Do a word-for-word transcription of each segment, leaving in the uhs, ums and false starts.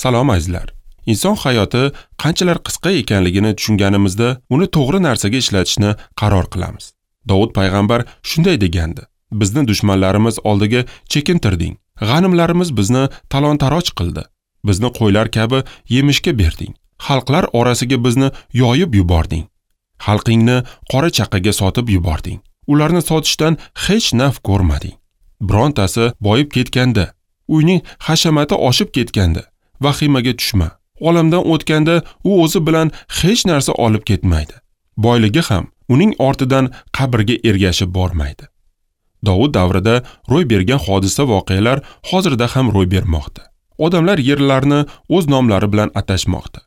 Salom azizlar. Inson hayoti qanchalar qisqa ekanligini tushunganimizda uni to'g'ri narsaga ishlatishni qaror qilamiz. Dovud payg'ambar shunday degandi: Bizni dushmanlarimiz oldiga chekintirding. G'animlarimiz bizni talon-taroj qildi. Bizni qo'ylar kabi yemishga berding. Xalqlar orasiga bizni yoyib yubording. Xalqingni qora chaqaga sotib yubording. Ularni sotishdan hech naf ko'rmading. Birontasi boyib ketganda, uyning hashamati oshib ketganda vahimaga tushma. Olamdan o'tganda u o'zi bilan hech narsa olib ketmaydi. Boyligi ham uning ortidan qabrga ergashib bormaydi. Dovud davrida ro'y bergan hodisa voqealar hozirda ham ro'y bermoqda. Odamlar yerlarni o'z nomlari bilan atashmoqda.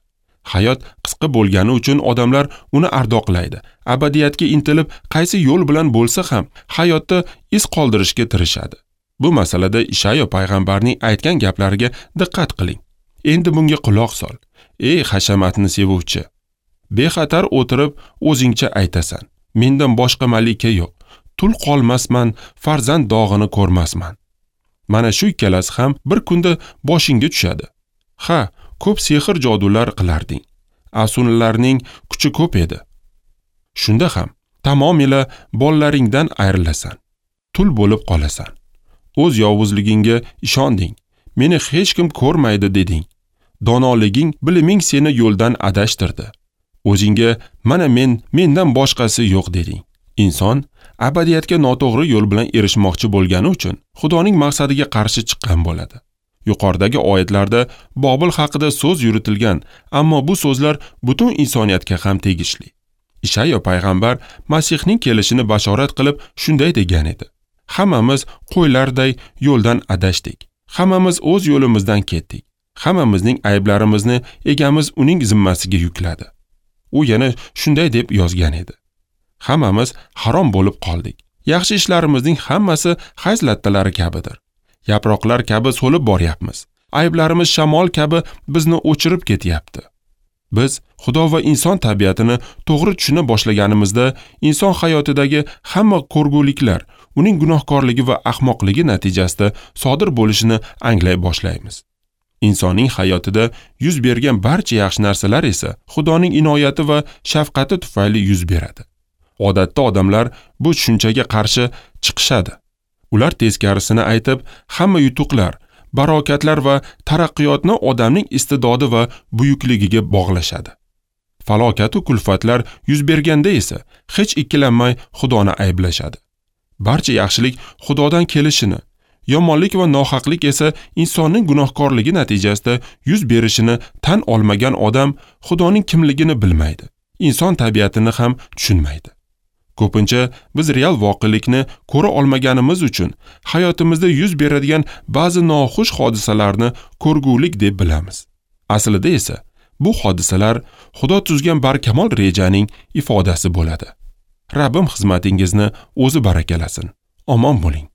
Hayot qisqa bo'lgani uchun odamlar uni ardoqlaydi. Abadiyatga intilib, qaysi yo'l bilan bo'lsa ham hayotda iz qoldirishga tirishadi. Bu masalada Ishayo payg'ambarning aytgan gaplariga diqqat qiling. Endi bunga quloq sol. Ey hashamatni sevuvchi, bexatar o'tirib o'zingcha aytasan. Mendan boshqa malika yo'q. Tul qolmasman, farzand dog'ini ko'rmasman. Mana shu ikkalasi ham bir kunda boshingga tushadi. Ha, ko'p sehr jodular qilarding. Afsunlarning kuchi ko'p edi. Shunda ham tamomila bolalaringdan ayrilasan. Tul bo'lib qolasan. O'z yovuzligingga ishonding. Meni hech kim ko'rmaydi deding. Donoliging, biliming seni yo'ldan adashtirdi. O'zingga mana men, mendan boshqasi yo'q deding. Inson abadiyatga noto'g'ri yo'l bilan erishmoqchi bo'lgani uchun Xudoning maqsadiga qarshi chiqqan bo'ladi. Yuqoridagi oyatlarda Bobil haqida so'z yuritilgan, ammo bu so'zlar butun insoniyatga ham tegishli. Ishayo payg'ambar Masihning kelishini bashorat qilib shunday degan edi: Hammamiz qo'ylarday yo'ldan adashdik. Hammamiz o'z yo'limizdan ketdik. Hammamizning ayblarimizni egamiz uning zimmasiga yukladi. U yana shunday deb yozgan edi: Hammamiz harom bo'lib qoldik. Yaxshi ishlarimizning hammasi hayz lattalari kabidir. Yaproqlar kabi so'lib boryapmiz. Ayblarimiz shamol kabi bizni o'chirib ketyapti. Biz Xudo va inson tabiatini to'g'ri tushuna boshlaganimizda inson hayotidagi hamma ko'rguliklar uning gunohkorligi va ahmoqligi natijasida sodir bo'lishini anglay boshlaymiz. Insonning hayotida yuz bergan barcha yaxshi narsalar esa Xudoning inoyati va shafqati tufayli yuz beradi. Odatda odamlar bu tushunchaga qarshi chiqishadi. Ular teskarisini aytib, hamma yutuqlar, barokatlar va taraqqiyotni odamning iste'dodi va buyukligiga bog'lashadi. Falokat va kulfatlar yuz berganda esa hech ikkilanmay Xudoni ayblashadi. Barcha yaxshilik Xudodan kelishini, yomonlik va nohaqlik esa insonning gunohkorligi natijasida yuz berishini tan olmagan odam Xudoning kimligini bilmaydi. Inson tabiatini ham tushunmaydi. Ko'pincha biz real voqelikni ko'ra olmaganimiz uchun hayotimizda yuz beradigan ba'zi noxush hodisalarni ko'rgulik deb bilamiz. Aslida esa bu hodisalar Xudo tuzgan barkamol rejaning ifodasi bo'ladi. Rabbim xizmatingizni o'zi barakalasin. Omon bo'ling.